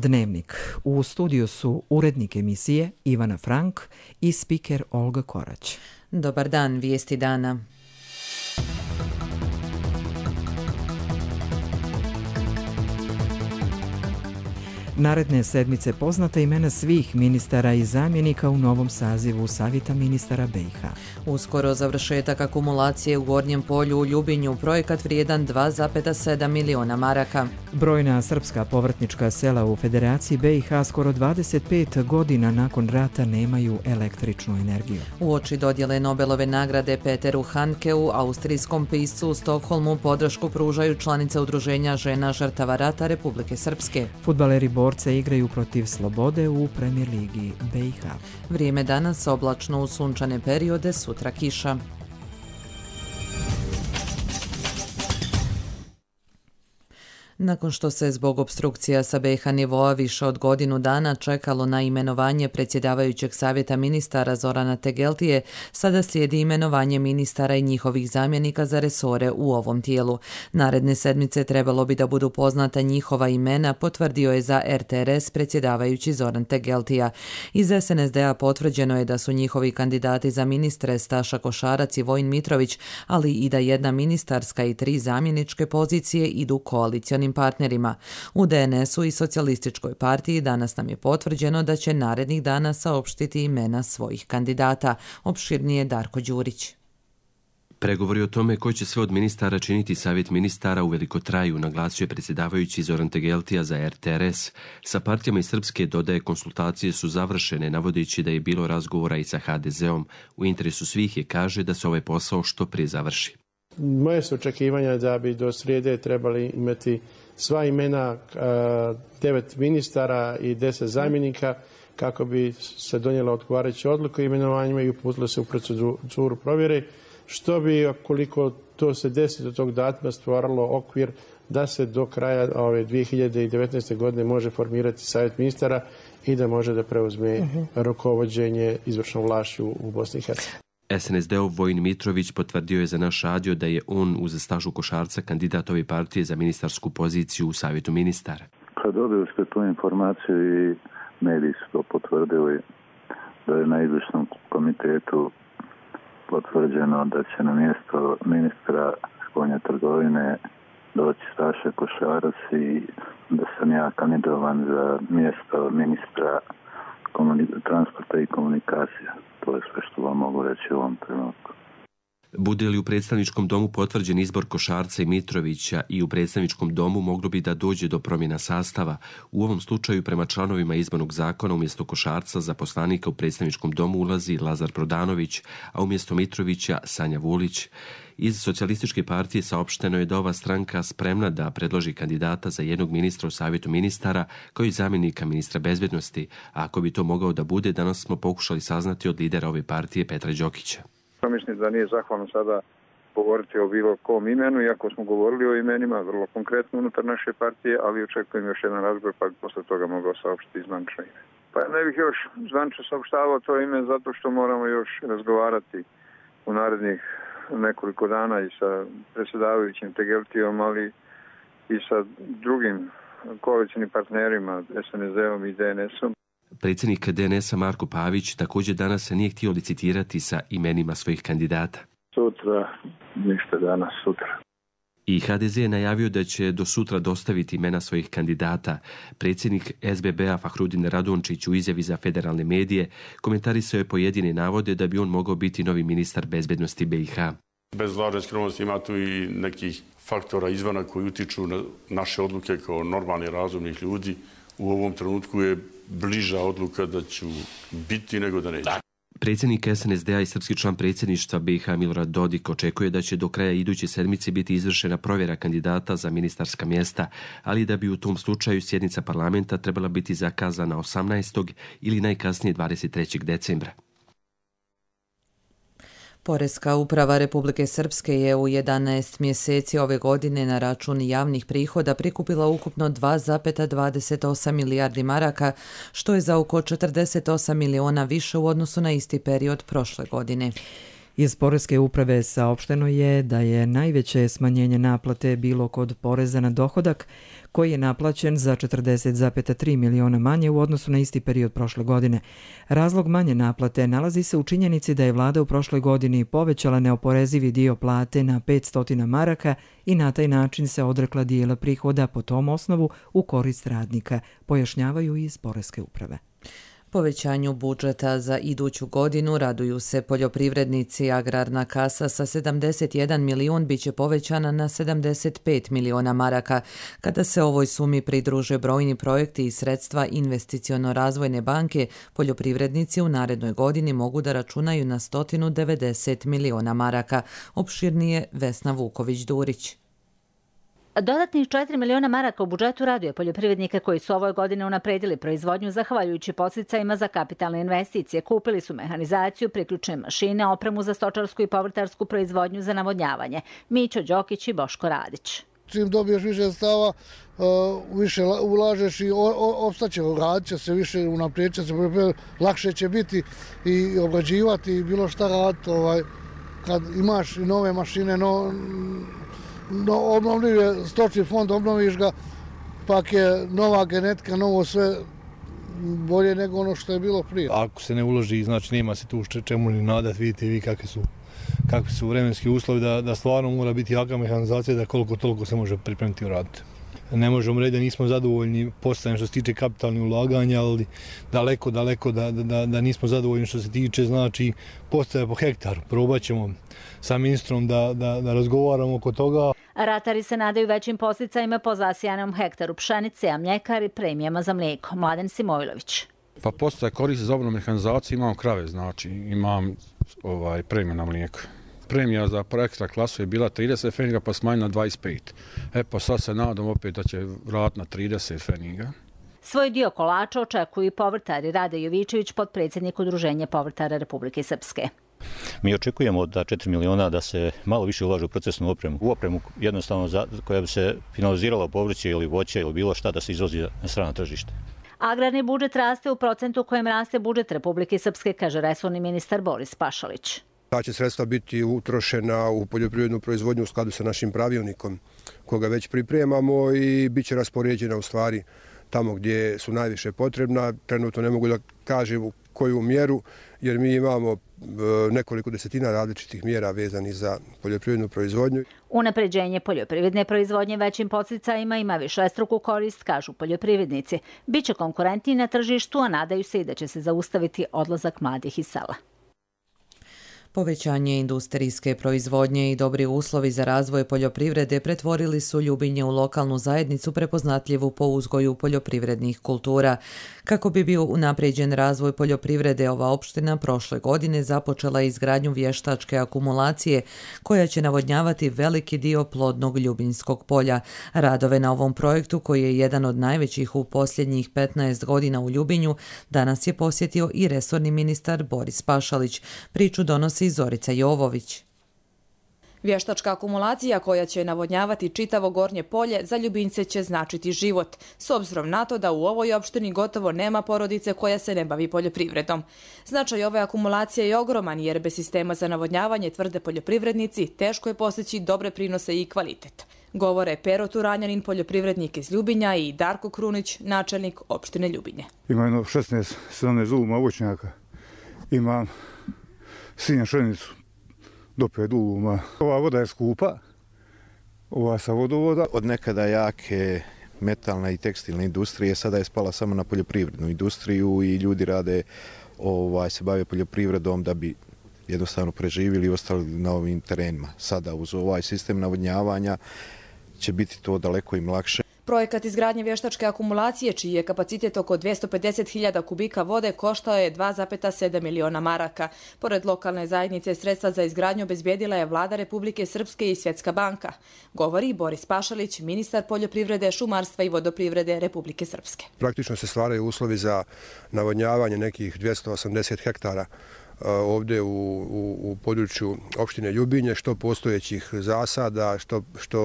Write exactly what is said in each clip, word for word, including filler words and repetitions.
Dnevnik. U studiju su urednik emisije Ivana Frank i spiker Olga Korać. Dobar dan, vijesti dana. Naredne sedmice poznata imena svih ministara i zamjenika u novom sazivu Savjeta ministara B i H. Uskoro završetak akumulacije u Gornjem polju u Ljubinju, projekat vrijedan dva zarez sedam miliona maraka. Brojna srpska povrtnička sela u Federaciji B i H skoro dvadeset pet godina nakon rata nemaju električnu energiju. Uoči dodjele Nobelove nagrade Peteru Handkeu, austrijskom piscu u Stokholmu, podršku pružaju članice Udruženja žena žrtava rata Republike Srpske. Fudbaleri borce igraju protiv Slobode u Premier ligi B i H. Vrijeme danas oblačno uz sunčane periode, sutra kiša. Nakon što se zbog opstrukcija sa B i H nivoa više od godinu dana čekalo na imenovanje predsjedavajućeg savjeta ministara Zorana Tegeltije, sada slijedi imenovanje ministara i njihovih zamjenika za resore u ovom tijelu. Naredne sedmice trebalo bi da budu poznata njihova imena, potvrdio je za R T R S predsjedavajući Zoran Tegeltija. Iz S N S D-a potvrđeno je da su njihovi kandidati za ministre Staša Košarac i Vojin Mitrović, ali i da jedna ministarska i tri zamjeničke pozicije idu koalicionim partnerima. U D N S-u i Socijalističkoj partiji danas nam je potvrđeno da će narednih dana saopštiti imena svojih kandidata. Opširnije Darko Đurić. Pregovori o tome koji će sve od ministara činiti savjet ministara uveliko traju, naglasio je predsjedavajući Zoran Tegeltija za R T R S. Sa partijama iz Srpske, dodaje, konsultacije su završene, navodeći da je bilo razgovora i sa H D Z-om. U interesu svih je, kaže, da se ovaj posao što prije završi. Moje su očekivanja da bi do srijede trebali imati sva imena devet ministara i deset zamjenika kako bi se donijela odgovarajuća odluka o imenovanjima i uputilo se u proceduru provjere, što bi, koliko to se desi do tog datuma, stvaralo okvir da se do kraja ove dvije hiljade devetnaeste. godine može formirati savjet ministara i da može da preuzme uh-huh. rukovođenje izvršnom vlašću u Bosni i Hercegovini. S N S D-ov Vojin Mitrović potvrdio je za naš radio da je on uz Stašu Košarca kandidat ove partije za ministarsku poziciju u savjetu ministara. Kad dobili ste tu informaciju i mediji su to potvrdili, da je na izvršnom komitetu potvrđeno da će na mjesto ministra spoljne trgovine doći Staša Košarac i da sam ja kandidovan za mjesto ministra transporta i komunikacija. To je sve što vam mogu reći u ovom trenutku. Bude li u predstavničkom domu potvrđen izbor Košarca i Mitrovića i u predstavničkom domu moglo bi da dođe do promjena sastava. U ovom slučaju prema članovima izbornog zakona umjesto Košarca za poslanika u predstavničkom domu ulazi Lazar Prodanović, a umjesto Mitrovića Sanja Vulić. Iz Socijalističke partije saopšteno je da ova stranka spremna da predloži kandidata za jednog ministra u savjetu ministara kao i zamjenika ministra bezbednosti, a ako bi to mogao da bude, danas smo pokušali saznati od lidera ove partije Petra Đokića. Mislim da nije zahvalno sada govoriti o bilo kom imenu, iako smo govorili o imenima vrlo konkretno unutar naše partije, ali očekujem još jedan razgovor pa bi posle toga mogao saopštiti zvanično ime. Pa ne bih još zvanično saopštavao to ime zato što moramo još razgovarati u narednih nekoliko dana i sa predsjedavajućim Tegeltijom, ali i sa drugim koalicijnim partnerima S N S D-om i D N S-om. Predsjednik D N S-a Marko Pavić također danas se nije htio licitirati sa imenima svojih kandidata. Sutra, ništa danas, sutra. I H D Z je najavio da će do sutra dostaviti imena svojih kandidata. Predsjednik S B B-a Fahrudin Radončić u izjavi za federalne medije komentarisao je pojedine navode da bi on mogao biti novi ministar bezbednosti B i H. Bez lažne skromnosti ima tu i nekih faktora izvana koji utiču na naše odluke kao normalni razumnih ljudi. U ovom trenutku je bliža odluka da ću biti nego da neću. Predsjednik S N S D-a i srpski član predsjedništva B i H Milorad Dodik očekuje da će do kraja iduće sedmice biti izvršena provjera kandidata za ministarska mjesta, ali da bi u tom slučaju sjednica parlamenta trebala biti zakazana osamnaestog ili najkasnije dvadeset trećeg decembra. Poreska uprava Republike Srpske je u jedanaest mjeseci ove godine na račun javnih prihoda prikupila ukupno dva zarez dvadeset osam milijardi maraka, što je za oko četrdeset osam miliona više u odnosu na isti period prošle godine. Iz Poreske uprave saopšteno je da je najveće smanjenje naplate bilo kod poreza na dohodak, koji je naplaćen za četrdeset zarez tri miliona manje u odnosu na isti period prošle godine. Razlog manje naplate nalazi se u činjenici da je vlada u prošloj godini povećala neoporezivi dio plate na petsto maraka i na taj način se odrekla dijela prihoda po tom osnovu u korist radnika, pojašnjavaju iz Poreske uprave. Povećanju budžeta za iduću godinu raduju se poljoprivrednici. Agrarna kasa sa sedamdeset jedan milion biće povećana na sedamdeset pet miliona maraka. Kada se ovoj sumi pridruže brojni projekti i sredstva Investiciono-razvojne banke, poljoprivrednici u narednoj godini mogu da računaju na sto devedeset miliona maraka. Opširnije Vesna Vuković-Durić. Dodatnih četiri miliona maraka u budžetu raduje poljoprivrednike koji su ovoj godine unapredili proizvodnju zahvaljujući podsticajima za kapitalne investicije. Kupili su mehanizaciju, priključne mašine, opremu za stočarsku i povrtarsku proizvodnju za navodnjavanje. Mićo Đokić i Boško Radić. Čim dobiješ više stava, više ulažeš i opstaće, radit će se više, unaprijed će se, lakše će biti i obrađivati i bilo šta raditi. Kad imaš i nove mašine, no... No, obnovljiv stočni fond, obnoviš ga, pak je nova genetika, novo sve bolje nego ono što je bilo prije. Ako se ne uloži, znači nema se tu čemu ni nadat, vidite vi kakvi su, kakvi su vremenski uslovi, da, da stvarno mora biti jaka mehanizacija da koliko toliko se može pripremiti i uraditi. Ne možemo reći da nismo zadovoljni postajem što se tiče kapitalnih ulaganja, ali daleko, daleko da, da, da nismo zadovoljni što se tiče znači postaje po hektaru. Probat ćemo sa ministrom da, da, da razgovaramo oko toga. Ratari se nadaju većim podsticajima po zasijanom hektaru pšenice, a mljekari premijama za mlijeko. Mladen Simojlović. Pa postaje koristi za obnovu mehanizacije, imam krave, znači imam ovaj, premiju na mlijeko. Premija za ekstra klasu je bila trideset feninga pa smanjena na dvadeset pet. E pa sad se nadam opet da će vratiti na trideset feninga. Svoj dio kolača očekuju i povrtari. Rade Jovičević, potpredsjednik Udruženja povrtara Republike Srpske. Mi očekujemo da četiri miliona da se malo više ulaže u procesnu opremu. U opremu jednostavno za, koja bi se finalizirala povrće ili voće ili bilo šta da se izvozi na strano tržište. Agrarni budžet raste u procentu u kojem raste budžet Republike Srpske, kaže resorni ministar Boris Pašalić. Ta će sredstva biti utrošena u poljoprivrednu proizvodnju u skladu sa našim pravilnikom koga već pripremamo i bit će raspoređena u stvari tamo gdje su najviše potrebna. Trenutno ne mogu da kažem u koju mjeru jer mi imamo nekoliko desetina različitih mjera vezanih za poljoprivrednu proizvodnju. Unapređenje poljoprivredne proizvodnje većim podsticajima ima višestruku korist, kažu poljoprivrednici. Biće konkurentniji na tržištu, a nadaju se i da će se zaustaviti odlazak mladih iz sela. Povećanje industrijske proizvodnje i dobri uslovi za razvoj poljoprivrede pretvorili su Ljubinje u lokalnu zajednicu prepoznatljivu po uzgoju poljoprivrednih kultura. Kako bi bio unapređen razvoj poljoprivrede, ova opština prošle godine započela izgradnju vještačke akumulacije koja će navodnjavati veliki dio plodnog Ljubinjskog polja. Radove na ovom projektu, koji je jedan od najvećih u posljednjih petnaest godina u Ljubinju, danas je posjetio i resorni ministar Boris Pašalić. Priču donosi Zorica Jovović. Vještačka akumulacija koja će navodnjavati čitavo Gornje polje za Ljubinjce će značiti život, s obzirom na to da u ovoj opštini gotovo nema porodice koja se ne bavi poljoprivredom. Značaj ove akumulacije je ogroman jer bez sistema za navodnjavanje, tvrde poljoprivrednici, teško je postići dobre prinose i kvalitet. Govore Pero Turanjanin, poljoprivrednik iz Ljubinja, i Darko Krunić, načelnik opštine Ljubinje. Ima jedno šesnaest sedamnaest uluma voćnjaka, ima sinja pšenicu do pet uluma. Ova voda je skupa, ova sa vodovoda. Od nekada jake metalna i tekstilna industrije sada je spala samo na poljoprivrednu industriju i ljudi rade, ovaj, se bave poljoprivredom da bi jednostavno preživjeli i ostali na ovim terenima. Sada uz ovaj sistem navodnjavanja će biti to daleko im lakše. Projekat izgradnje vještačke akumulacije, čiji je kapacitet oko dvjesto pedeset hiljada kubika vode, koštao je dva zarez sedam miliona maraka. Pored lokalne zajednice, sredstva za izgradnju obezbijedila je Vlada Republike Srpske i Svjetska banka. Govori Boris Pašalić, ministar poljoprivrede, šumarstva i vodoprivrede Republike Srpske. Praktično se stvaraju uslovi za navodnjavanje nekih dvjesto osamdeset hektara ovdje u, u, u području opštine Ljubinje, što postojećih zasada, što, što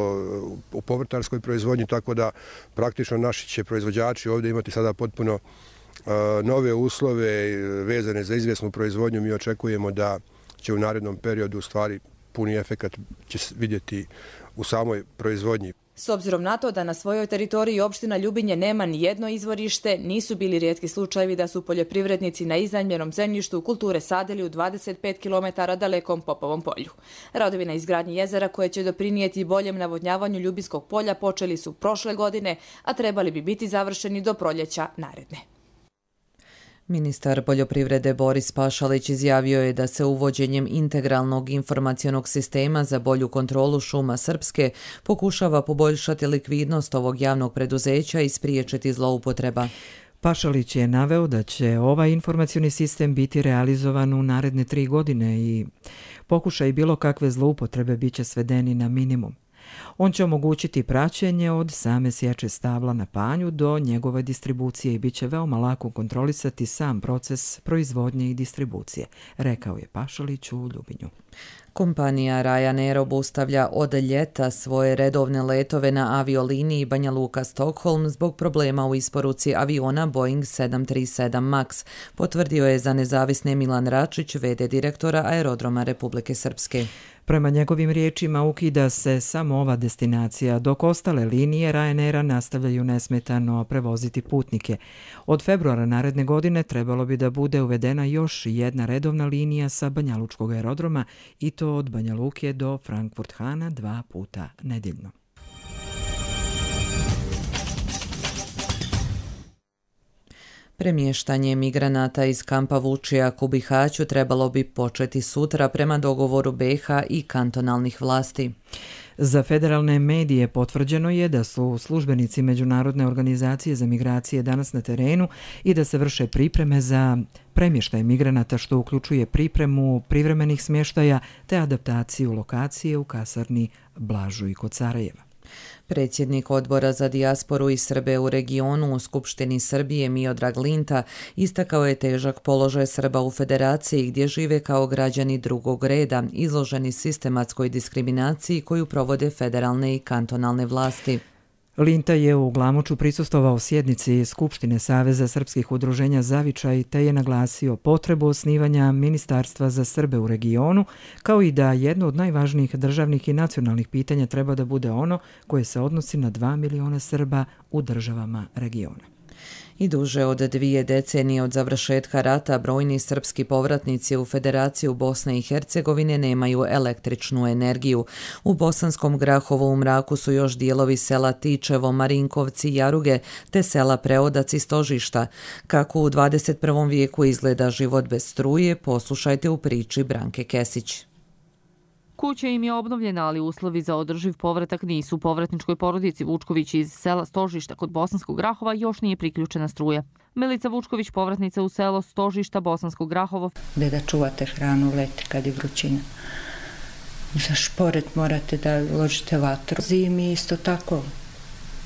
u povrtarskoj proizvodnji, tako da praktično naši će proizvođači ovdje imati sada potpuno uh, nove uslove vezane za izvjesnu proizvodnju. Mi očekujemo da će u narednom periodu u stvari puni efekat će vidjeti u samoj proizvodnji. S obzirom na to da na svojoj teritoriji opština Ljubinje nema ni jedno izvorište, nisu bili rijetki slučajevi da su poljoprivrednici na iznajmljenom zemljištu kulture sadili u dvadeset pet kilometara dalekom Popovom polju. Radovi na izgradnji jezera koje će doprinijeti boljem navodnjavanju Ljubinskog polja počeli su prošle godine, a trebali bi biti završeni do proljeća naredne. Ministar poljoprivrede Boris Pašalić izjavio je da se uvođenjem integralnog informacionog sistema za bolju kontrolu šuma Srpske pokušava poboljšati likvidnost ovog javnog preduzeća i spriječiti zloupotreba. Pašalić je naveo da će ovaj informacioni sistem biti realizovan u naredne tri godine i pokušaj bilo kakve zloupotrebe biće svedeni na minimum. On će omogućiti praćenje od same sječe stabla na panju do njegove distribucije i bit će veoma lako kontrolisati sam proces proizvodnje i distribucije, rekao je Pašalić u Ljubinju. Kompanija Ryanair obustavlja od ljeta svoje redovne letove na avioliniji Banja Luka-Stockholm zbog problema u isporuci aviona Boeing sedam tri sedam Max, potvrdio je za nezavisne Milan Račić, ve de direktora Aerodroma Republike Srpske. Prema njegovim riječima ukida se samo ova destinacija, dok ostale linije Ryanaira nastavljaju nesmetano prevoziti putnike. Od februara naredne godine trebalo bi da bude uvedena još jedna redovna linija sa Banjalučkog aerodroma i to od Banja Luke do Frankfurt-Hana dva puta nedeljno. Premještanje migranata iz kampa Vučijak u Bihaću trebalo bi početi sutra prema dogovoru be i ha i kantonalnih vlasti. Za federalne medije potvrđeno je da su službenici Međunarodne organizacije za migracije danas na terenu i da se vrše pripreme za premještaj migranata, što uključuje pripremu privremenih smještaja te adaptaciju lokacije u kasarni Blažuj kod Sarajeva. Predsjednik odbora za dijasporu i Srbe u regionu u Skupštini Srbije Miodrag Linta istakao je težak položaj Srba u federaciji gdje žive kao građani drugog reda, izloženi sistematskoj diskriminaciji koju provode federalne i kantonalne vlasti. Linta je u Glamoču prisustvovao sjednici Skupštine Saveza srpskih udruženja Zavičaj te je naglasio potrebu osnivanja Ministarstva za Srbe u regionu, kao i da jedno od najvažnijih državnih i nacionalnih pitanja treba da bude ono koje se odnosi na dva miliona Srba u državama regiona. I duže od dvije decenije od završetka rata brojni srpski povratnici u Federaciju Bosne i Hercegovine nemaju električnu energiju. U Bosanskom Grahovu u mraku su još dijelovi sela Tičevo, Marinkovci, Jaruge te sela Preodac i Stožišta. Kako u dvadeset prvom vijeku izgleda život bez struje, poslušajte u priči Branke Kesić. Kuća im je obnovljena, ali uslovi za održiv povratak nisu. Povratničkoj porodici Vučković iz sela Stožišta kod Bosanskog Grahova još nije priključena struja. Milica Vučković, povratnica u selo Stožišta, Bosanskog Grahovo. Gde da čuvate hranu leti kad je vrućina. Za šporet morate da ložite vatru. Zimi isto tako.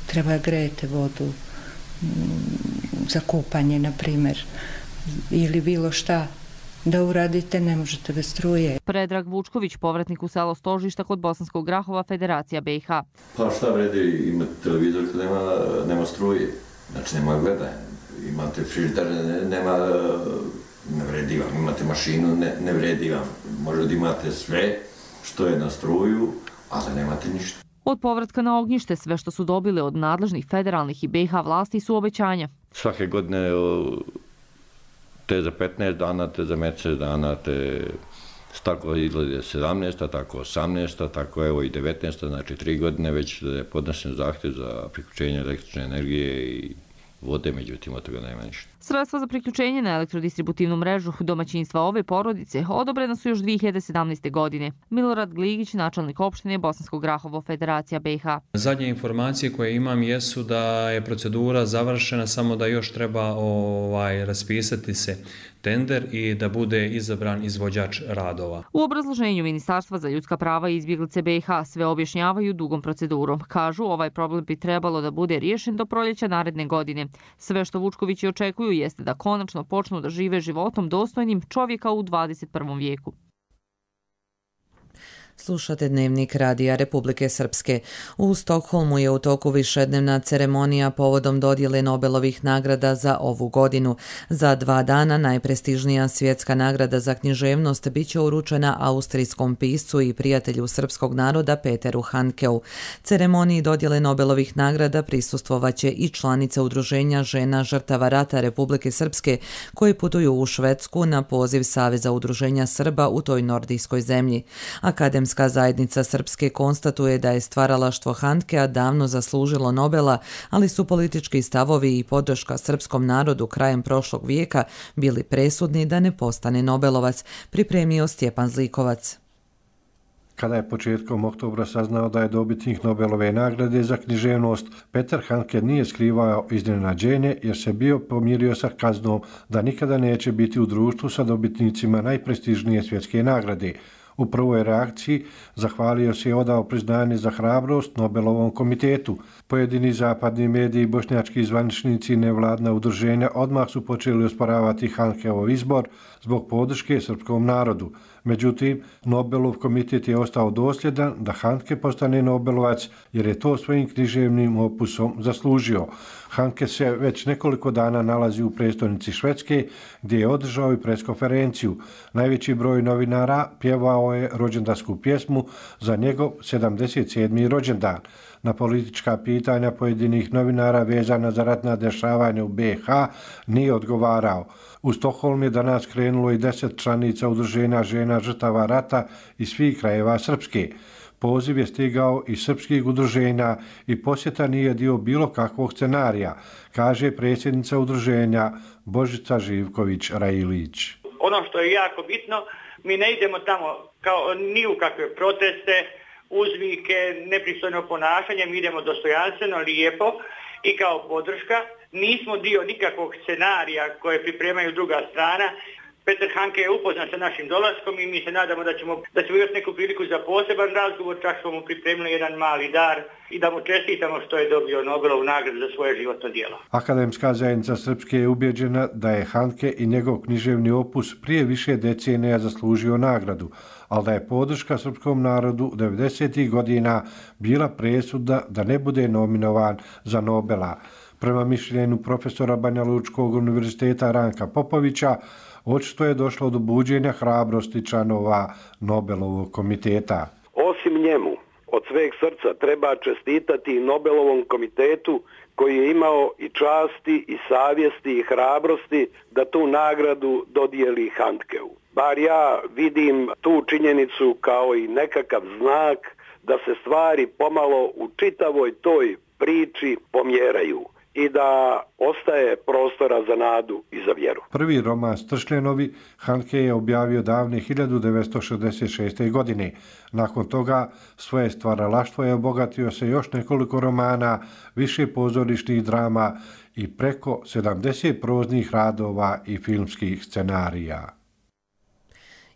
Treba grejete vodu za kupanje, na primjer, ili bilo šta da uradite, ne možete bez struje. Predrag Vučković, povratnik u selo Stožišta kod Bosanskog Grahova, Federacija be i ha. Pa šta vredi imati televizor kad nema, nema struje, znači nema gledanja. Imate frižider, nema, ne vredi vam, imate mašinu, ne, ne vredi vam. Možda da imate sve što je na struju, ali nemate ništa. Od povratka na ognjište sve što su dobili od nadležnih federalnih i be i ha vlasti su obećanja. Svake godine te za petnaest dana, te za mjesec dana, te tako izgleda sedamnaesta, tako osamnaesta, tako evo i devetnaesta, znači tri godine već da je podnesen zahtjev za priključenje električne energije i vode, međutim od toga nema ništa. Sredstva za priključenje na elektrodistributivnu mrežu domaćinstva ove porodice odobrena su još dvije hiljade sedamnaeste. godine. Milorad Gligić, načelnik opštine Bosanskog Grahovo, Federacija be i ha. Zadnje informacije koje imam jesu da je procedura završena, samo da još treba ovaj, raspisati se tender i da bude izabran izvođač radova. U obrazloženju Ministarstva za ljudska prava i izbjeglice be i ha sve objašnjavaju dugom procedurom. Kažu, ovaj problem bi trebalo da bude riješen do proljeća naredne godine. Sve što Vučkovići očekuju jeste da konačno počnu da žive životom dostojnim čovjeka u dvadeset prvom vijeku. Slušate Dnevnik Radija Republike Srpske. U Stokholmu je u toku višednevna ceremonija povodom dodjele Nobelovih nagrada za ovu godinu. Za dva dana najprestižnija svjetska nagrada za književnost bit će uručena austrijskom piscu i prijatelju srpskog naroda Peteru Handkeu. Ceremoniji dodjele Nobelovih nagrada prisustvovaće i članice Udruženja žena žrtava rata Republike Srpske koji putuju u Švedsku na poziv Saveza udruženja Srba u toj nordijskoj zemlji. Akademska zajednica Srpske konstatuje da je stvaralaštvo Handkea davno zaslužilo Nobela, ali su politički stavovi i podrška srpskom narodu krajem prošlog vijeka bili presudni da ne postane Nobelovac, pripremio Stjepan Zlikovac. Kada je početkom oktobra saznao da je dobitnik Nobelove nagrade za književnost, Peter Handke nije skrivao iznenađenje jer se bio pomirio sa kaznom da nikada neće biti u društvu sa dobitnicima najprestižnije svjetske nagrade. U prvoj reakciji zahvalio se i odao priznanje za hrabrost Nobelovom komitetu. Pojedini zapadni mediji i bošnjački zvaničnici i nevladna udruženja odmah su počeli osporavati Handkeov izbor zbog podrške srpskom narodu. Međutim, Nobelov komitet je ostao dosljedan da Handke postane Nobelovac jer je to svojim književnim opusom zaslužio. Handke se već nekoliko dana nalazi u prestolnici Švedske gdje je održao i preskonferenciju. Najveći broj novinara pjevao je rođendansku pjesmu za njegov sedamdeset sedmi rođendan. Na politička pitanja pojedinih novinara vezana za ratna dešavanja u B i H nije odgovarao. U Stokholm je danas krenulo i deset članica Udruženja žena žrtava rata iz svih krajeva Srpske. Poziv je stigao iz srpskih udruženja i posjeta nije dio bilo kakvog scenarija, kaže predsjednica udruženja Božica Živković-Rajilić. Ono što je jako bitno, mi ne idemo tamo kao ni u kakve proteste, uzvike, nepristojno ponašanje, mi idemo dostojanstveno, lijepo i kao podrška. Nismo dio nikakvog scenarija koje pripremaju druga strana. Peter Handke je upoznat sa našim dolaskom i mi se nadamo da ćemo, da ćemo još neku priliku za poseban razgovor, čak smo mu pripremili jedan mali dar i da mu čestitamo što je dobio Nobelovu nagradu za svoje životno djelo. Akademska zajednica Srpske je ubjeđena da je Handke i njegov književni opus prije više decenija zaslužio nagradu, ali da je podrška srpskom narodu devedesetih godina bila presudna da ne bude nominovan za Nobela. Prema mišljenju profesora Banja Lučkog univerziteta Ranka Popovića, očito je došlo do buđenja hrabrosti članova Nobelovog komiteta. Osim njemu, od sveg srca treba čestitati Nobelovom komitetu koji je imao i časti i savjesti i hrabrosti da tu nagradu dodijeli Handkeu. Bar ja vidim tu činjenicu kao i nekakav znak da se stvari pomalo u čitavoj toj priči pomjeraju i da ostaje prostora za nadu i za vjeru. Prvi roman Stršljenovi Handke je objavio davne hiljadu devetsto šezdeset šeste. godine. Nakon toga svoje stvaralaštvo je obogatio se još nekoliko romana, više pozorišnih drama i preko sedamdeset proznih radova i filmskih scenarija.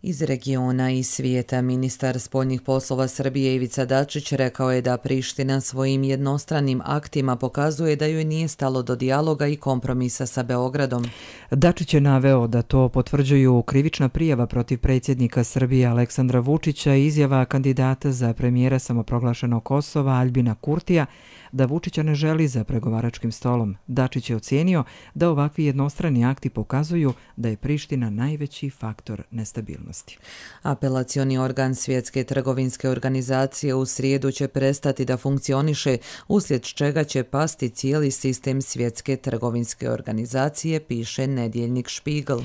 Iz regiona i svijeta ministar spoljnih poslova Srbije Ivica Dačić rekao je da Priština svojim jednostranim aktima pokazuje da joj nije stalo do dijaloga i kompromisa sa Beogradom. Dačić je naveo da to potvrđuju krivična prijava protiv predsjednika Srbije Aleksandra Vučića i izjava kandidata za premijera samoproglašenog Kosova Aljbina Kurtija da Vučića ne želi za pregovaračkim stolom. Dačić je ocijenio da ovakvi jednostrani akti pokazuju da je Priština najveći faktor nestabilnosti. Apelacioni organ Svjetske trgovinske organizacije u srijedu će prestati da funkcioniše, uslijed čega će pasti cijeli sistem Svjetske trgovinske organizacije, piše nedjeljnik Špigl.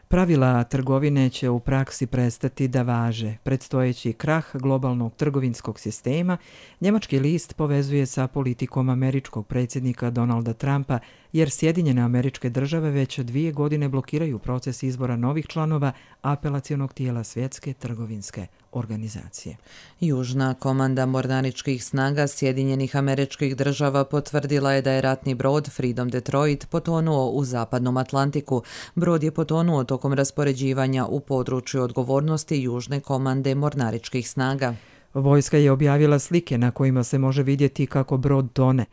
Pravila trgovine će u praksi prestati da važe. Predstojeći krah globalnog trgovinskog sistema njemački list povezuje sa politikom američkog predsjednika Donalda Trumpa, jer Sjedinjene Američke Države već dvije godine blokiraju proces izbora novih članova apelacionog tijela Svjetske trgovinske organizacije. Južna komanda mornaričkih snaga Sjedinjenih Američkih Država potvrdila je da je ratni brod Freedom Detroit potonuo u zapadnom Atlantiku. Brod je potonuo tokom raspoređivanja u području odgovornosti Južne komande mornaričkih snaga. Vojska je objavila slike na kojima se može vidjeti kako brod tone.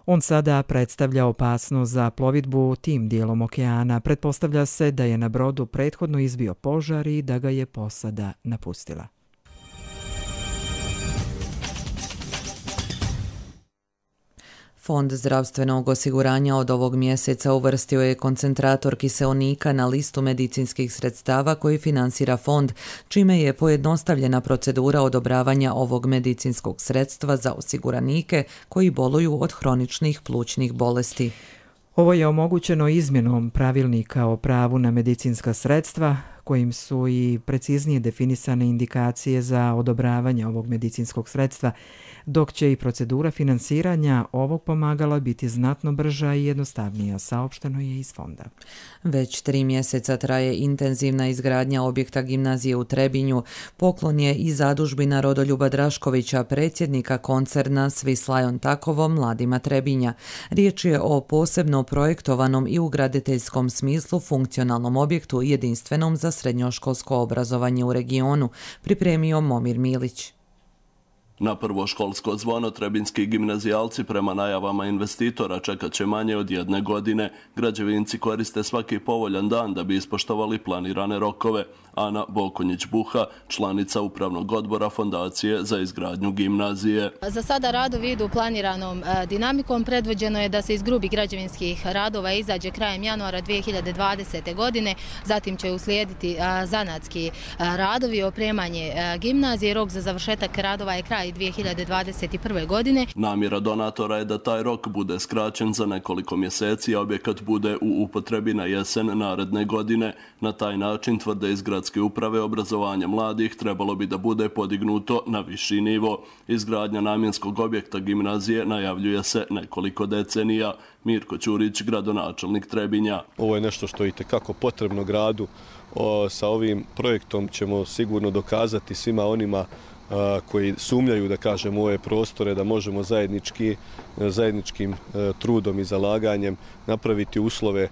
On sada predstavlja opasnost za plovidbu tim dijelom okeana. Pretpostavlja se da je na brodu prethodno izbio požar i da ga je posada napustila. Fond zdravstvenog osiguranja od ovog mjeseca uvrstio je koncentrator kiseonika na listu medicinskih sredstava koji finansira fond, čime je pojednostavljena procedura odobravanja ovog medicinskog sredstva za osiguranike koji boluju od hroničnih plućnih bolesti. Ovo je omogućeno izmjenom pravilnika o pravu na medicinska sredstva, kojim su i preciznije definisane indikacije za odobravanje ovog medicinskog sredstva, dok će i procedura finansiranja ovog pomagala biti znatno brža i jednostavnija, saopšteno je iz fonda. Već tri mjeseca traje intenzivna izgradnja objekta gimnazije u Trebinju. Poklon je i zadužbina Rodoljuba Draškovića, predsjednika koncerna Swiss Lion Takovo mladima Trebinja. Riječ je o posebno projektovanom i u graditeljskom smislu funkcionalnom objektu jedinstvenom za srednjoškolsko obrazovanje u regionu, pripremio Momir Milić. Na prvo školsko zvono trebinski gimnazijalci prema najavama investitora čekat će manje od jedne godine. Građevinci koriste svaki povoljan dan da bi ispoštovali planirane rokove. Ana Bokonjić-Buha, članica upravnog odbora Fondacije za izgradnju gimnazije. Za sada radovi idu planiranom dinamikom. Predvođeno je da se iz grubih građevinskih radova izađe krajem januara dvije hiljade dvadesete. godine. Zatim će uslijediti zanatski radovi, opremanje gimnazije. Rok za završetak radova je kraj dvije hiljade dvadeset prve. godine. Namjera donatora je da taj rok bude skraćen za nekoliko mjeseci, a objekat bude u upotrebi na jesen naredne godine. Na taj način, tvrde iz gradske uprave, obrazovanje mladih trebalo bi da bude podignuto na viši nivo. Izgradnja namjenskog objekta gimnazije najavljuje se nekoliko decenija. Mirko Ćurić, gradonačelnik Trebinja. Ovo je nešto što je itekako potrebno gradu. O, sa ovim projektom ćemo sigurno dokazati svima onima koji sumnjaju, da kažem, u ove prostore, da možemo zajednički, zajedničkim trudom i zalaganjem napraviti uslove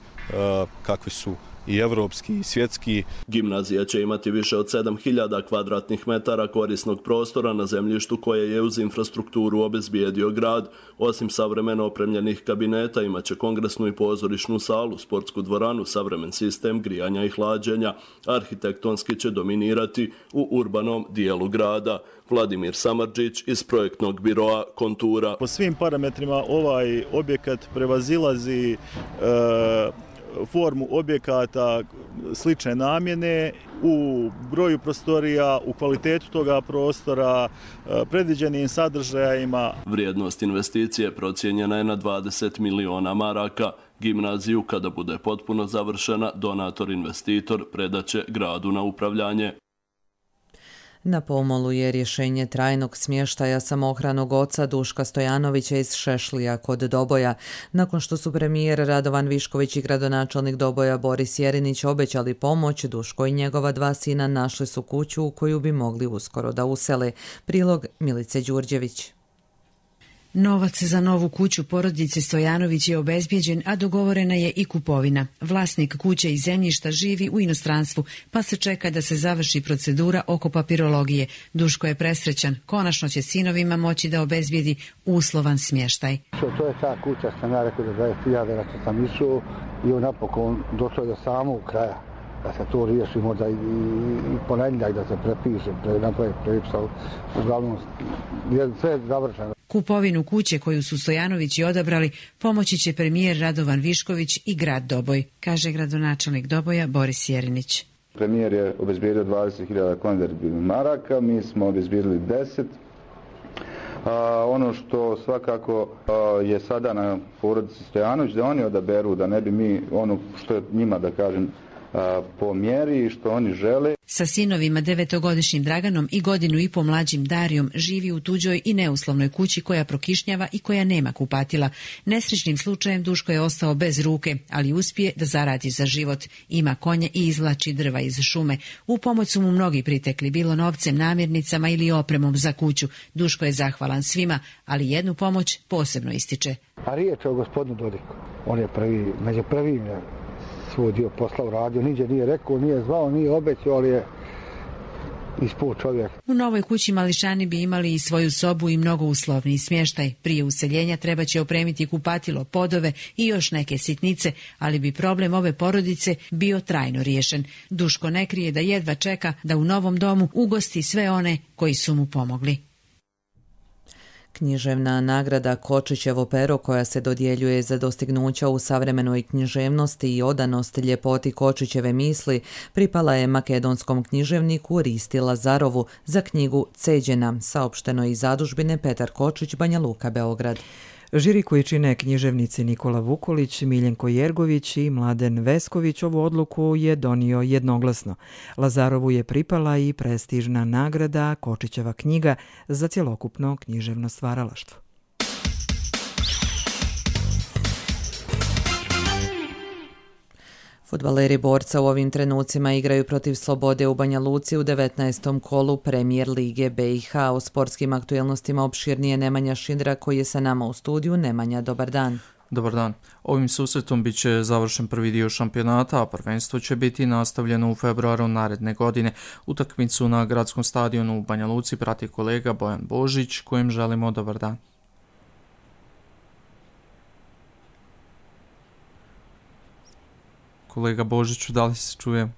kakvi su i evropski i svjetski. Gimnazija će imati više od sedam hiljada kvadratnih metara korisnog prostora na zemljištu koje je uz infrastrukturu obezbijedio grad. Osim savremeno opremljenih kabineta imaće kongresnu i pozorišnu salu, sportsku dvoranu, savremen sistem grijanja i hlađenja. Arhitektonski će dominirati u urbanom dijelu grada. Vladimir Samardžić iz projektnog biroa Kontura. Po svim parametrima ovaj objekat prevazilazi e, formu objekata slične namjene u broju prostorija, u kvalitetu toga prostora, predviđenim sadržajima. Vrijednost investicije procijenjena je na dvadeset miliona maraka. Gimnaziju, kada bude potpuno završena, donator-investitor predaće gradu na upravljanje. Na pomolu je rješenje trajnog smještaja samohranog oca Duška Stojanovića iz Šešlija kod Doboja. Nakon što su premijer Radovan Višković i gradonačelnik Doboja Boris Jerinić obećali pomoć, Duško i njegova dva sina našli su kuću u koju bi mogli uskoro da usele. Prilog Milice Đurđević. Novac za novu kuću porodice Stojanović je obezbijeđen, a dogovorena je i kupovina. Vlasnik kuće i zemljišta živi u inostranstvu, pa se čeka da se završi procedura oko papirologije. Duško je presrećan. Konačno će sinovima moći da obezbijedi uslovan smještaj. To je ta kuća, sam ja rekao da dvadeset hiljada, da sam išao i on napokon došao do samog kraja. Da se to riješi možda i, i ponedjeljak da se prepiše, pre, napravi prepisa. Uglavnom je sve završeno. Kupovinu kuće koju su Stojanovići odabrali pomoći će premijer Radovan Višković i grad Doboj, kaže gradonačelnik Doboja Boris Jerinić. Premijer je obezbijedio dvadeset hiljada konvertibilnih maraka, mi smo obezbijedili deset. A, ono što svakako a, je sada na porodici Stojanović, da oni odaberu, da ne bi mi ono što je njima, da kažem, a, po mjeri i što oni žele. Sa sinovima devetogodišnjim Draganom i godinu i po mlađim Darijom živi u tuđoj i neuslovnoj kući koja prokišnjava i koja nema kupatila. Nesrećnim slučajem Duško je ostao bez ruke, ali uspije da zaradi za život. Ima konje i izvlači drva iz šume. U pomoć su mu mnogi pritekli, bilo novcem, namirnicama ili opremom za kuću. Duško je zahvalan svima, ali jednu pomoć posebno ističe. A riječ je o gospodinu Dodiku. On je prvi, među prvim je svoj dio posla uradio, niđe nije rekao, nije zvao, nije obećao, ali je ispao čovjek. U novoj kući mališani bi imali i svoju sobu i mnogo uslovniji smještaj. Prije useljenja treba će opremiti kupatilo, podove i još neke sitnice, ali bi problem ove porodice bio trajno riješen. Duško ne krije da jedva čeka da u novom domu ugosti sve one koji su mu pomogli. Književna nagrada Kočićevo pero koja se dodjeljuje za dostignuća u savremenoj književnosti i odanost ljepoti Kočićeve misli pripala je makedonskom književniku Risti Lazarovu za knjigu Ceđena, saopšteno iz zadužbine Petar Kočić, Banja Luka, Beograd. Žiri koji čine književnici Nikola Vukolić, Miljenko Jergović i Mladen Vesković ovu odluku je donio jednoglasno. Lazarovu je pripala i prestižna nagrada Kočićeva knjiga za cjelokupno književno stvaralaštvo. Fudbaleri Borca u ovim trenucima igraju protiv Slobode u Banja Luci u devetnaestom kolu Premijer Lige B i H. O sportskim aktuelnostima opširnije Nemanja Šindra koji je sa nama u studiju. Nemanja, dobar dan. Dobar dan. Ovim susretom bit će završen prvi dio šampionata, a prvenstvo će biti nastavljeno u februaru naredne godine. Utakmicu na gradskom stadionu u Banja Luci prati kolega Bojan Božić, kojem želimo dobar dan. Kolega Božiću, da li se čujem?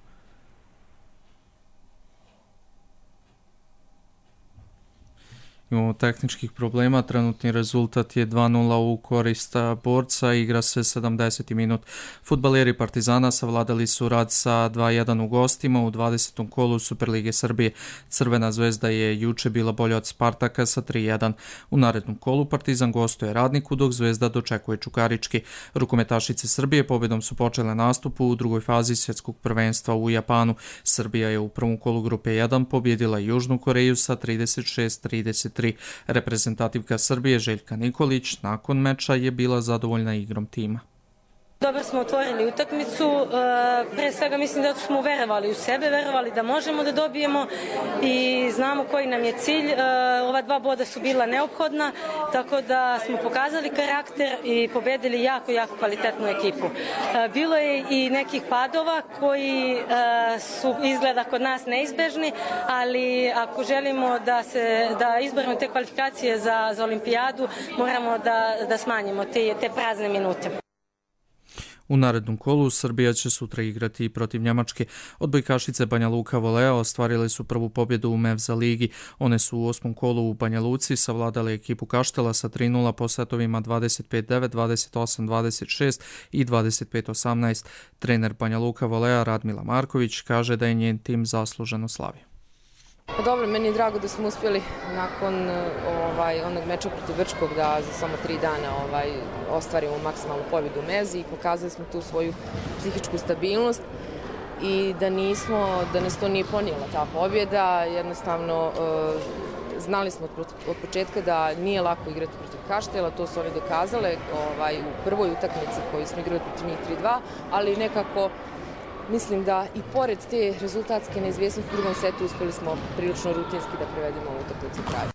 Imamo tehničkih problema, trenutni rezultat je dva nula u korist Borca, igra se sedamdeseti minut. Fudbaleri Partizana savladali su rad sa dva jedan u gostima u dvadesetom kolu Superlige Srbije. Crvena zvezda je juče bila bolja od Spartaka sa tri jedan. U narednom kolu Partizan gostuje Radniku, dok Zvezda dočekuje Čukarički. Rukometašice Srbije pobjedom su počele nastup u drugoj fazi svjetskog prvenstva u Japanu. Srbija je u prvom kolu grupe jedan pobjedila Južnu Koreju sa trideset šest trideset. Reprezentativka Srbije Željka Nikolić nakon meča je bila zadovoljna igrom tima. Dobro smo otvorili utakmicu, pre svega mislim da smo verovali u sebe, verovali da možemo da dobijemo i znamo koji nam je cilj. Ova dva boda su bila neophodna, tako da smo pokazali karakter i pobedili jako, jako kvalitetnu ekipu. Bilo je i nekih padova koji su izgleda kod nas neizbežni, ali ako želimo da, se, da izborimo te kvalifikacije za, za olimpijadu, moramo da, da smanjimo te, te prazne minute. U narednom kolu Srbija će sutra igrati protiv Njemačke. Odbojkašice Banja Luka Volea ostvarile su prvu pobjedu u Mevza ligi. One su u osmom kolu u Banja Luci savladale ekipu Kaštela sa tri nula po setovima dvadeset pet devet, dvadeset osam dvadeset šest i dvadeset pet osamnaest. Trener Banja Luka Volea Radmila Marković kaže da je njen tim zasluženo slavio. Pa dobro, meni je drago da smo uspjeli nakon ovaj, onog meča protiv Brčkog da za samo tri dana ovaj, ostvarimo maksimalnu pobjedu u Mezi i pokazali smo tu svoju psihičku stabilnost i da nismo, da nas to nije ponijela ta pobjeda. Jednostavno e, znali smo od, od početka da nije lako igrati protiv Kaštela, to su oni dokazale ovaj, u prvoj utakmici koju smo igrali protiv njih tri dva, ali nekako mislim da i pored te rezultatske neizvjesnosti u drugom setu uspjeli smo prilično rutinski da prevedemo ovu utakmicu kraju.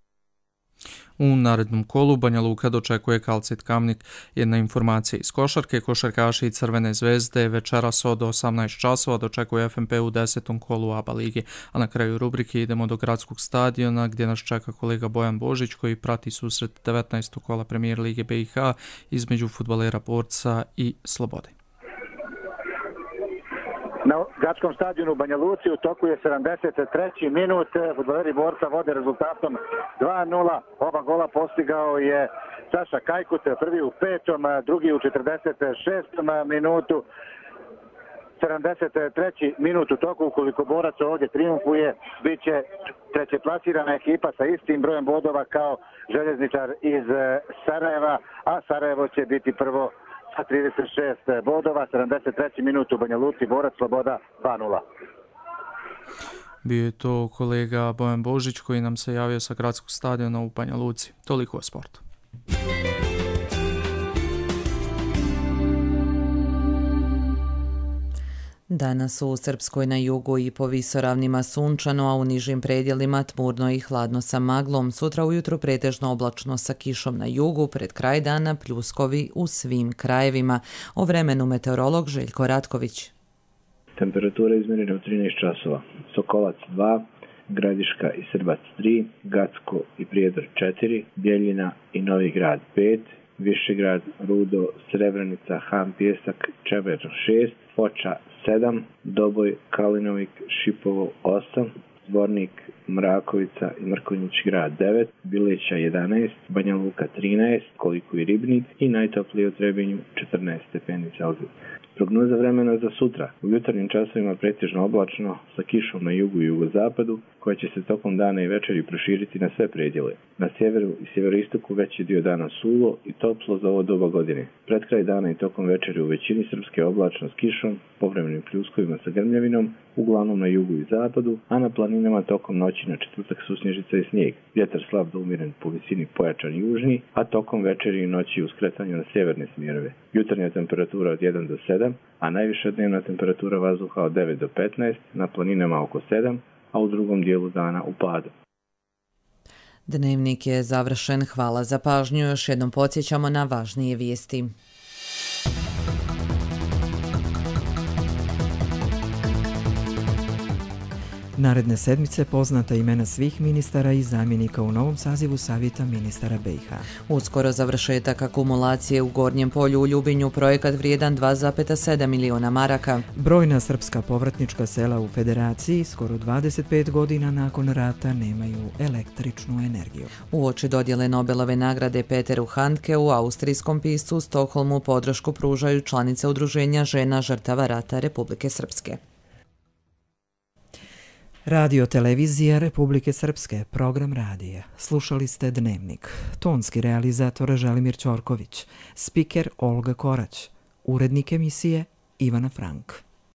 U narednom kolu Banja Luka dočekuje Kalcit Kamnik. Jedna informacija iz košarke, košarkaši i Crvene zvezde večeras od osamnaest časova dočekuje F M P u desetom kolu A B A lige. A na kraju rubrike idemo do gradskog stadiona gdje nas čeka kolega Bojan Božić koji prati susret devetnaestog kola Premijer Lige B i H između fudbalera Borca i Slobode. Na gradskom stadionu u Banja Luci u toku je sedamdeset treći minut. Fudbaleri Borca vode rezultatom dva nula. Oba gola postigao je Saša Kajkut, prvi u petom, drugi u četrdeset šestom minutu. sedamdeset treći minut u toku, ukoliko Borac ovdje triumfuje, bit će treće plasirana ekipa sa istim brojem bodova kao Željezničar iz Sarajeva, a Sarajevo će biti prvo sa trideset šest bodova. sedamdeset treći minut u Banja Luci, Borac Sloboda dva nula. Bio je to kolega Bojan Božić koji nam se javio sa gradskog stadiona u Banja Luci. Toliko o sportu. Danas u Srpskoj na jugu i po visoravnima sunčano, a u nižim predjelima tmurno i hladno sa maglom. Sutra ujutro pretežno oblačno sa kišom na jugu, pred kraj dana pljuskovi u svim krajevima. O vremenu meteorolog Željko Ratković. Temperatura izmjerena u trinaest časova. Sokolac dva, Gradiška i Srbac tri, Gacko i Prijedor četiri, Bjeljina i Novi Grad pet, Višegrad, Rudo, Srebrenica, Han Pjesak, Čeber šest, Foča sedam, Doboj, Kalinovik, Šipovo osam, Zvornik, Mrakovica i Mrkonjić grad devet, Bileća jedanaest, Banja Luka trinaest, Koliko i Ribnik i najtoplije u Trebinju četrnaest stepeni Celzija. Prognoza vremena za sutra. U jutarnjim časovima pretežno oblačno sa kišom na jugu i jugozapadu, koja će se tokom dana i večeri proširiti na sve predjele. Na sjeveru i sjeveroistoku veći dio dana suvo i toplo za ovo doba godine. Pred kraj dana i tokom večeri u većini Srpske oblačno s kišom, povremenim pljuskovima sa grmljavinom, uglavnom na jugu i zapadu, a na planinama tokom noći na četvrtak susnježica i snijeg. Vjetar slab do umjeren, po visini pojačan južni, a tokom večeri i noći u skretanju na sjeverne smjerove. Jutarnja temperatura od jedan do sedam, a najviša dnevna temperatura vazduha od devet do petnaest, na planinama oko sedam, a u drugom dijelu dana u padu. Dnevnik je završen. Hvala za pažnju. Još jednom podsjećamo na važnije vijesti. Naredne sedmice poznata imena svih ministara i zamjenika u novom sazivu Savjeta ministara B i H. Uskoro završetak akumulacije u Gornjem polju u Ljubinju, projekat vrijedan dva zarez sedam miliona maraka. Brojna srpska povratnička sela u Federaciji skoro dvadeset pet godina nakon rata nemaju električnu energiju. Uoči dodjele Nobelove nagrade Peteru Handke u austrijskom piscu u Stokholmu podršku pružaju članice Udruženja žena žrtava rata Republike Srpske. Radio televizija Republike Srpske, program radija. Slušali ste Dnevnik. Tonski realizator Želimir Ćorković, spiker Olga Korać, urednik emisije Ivana Frank.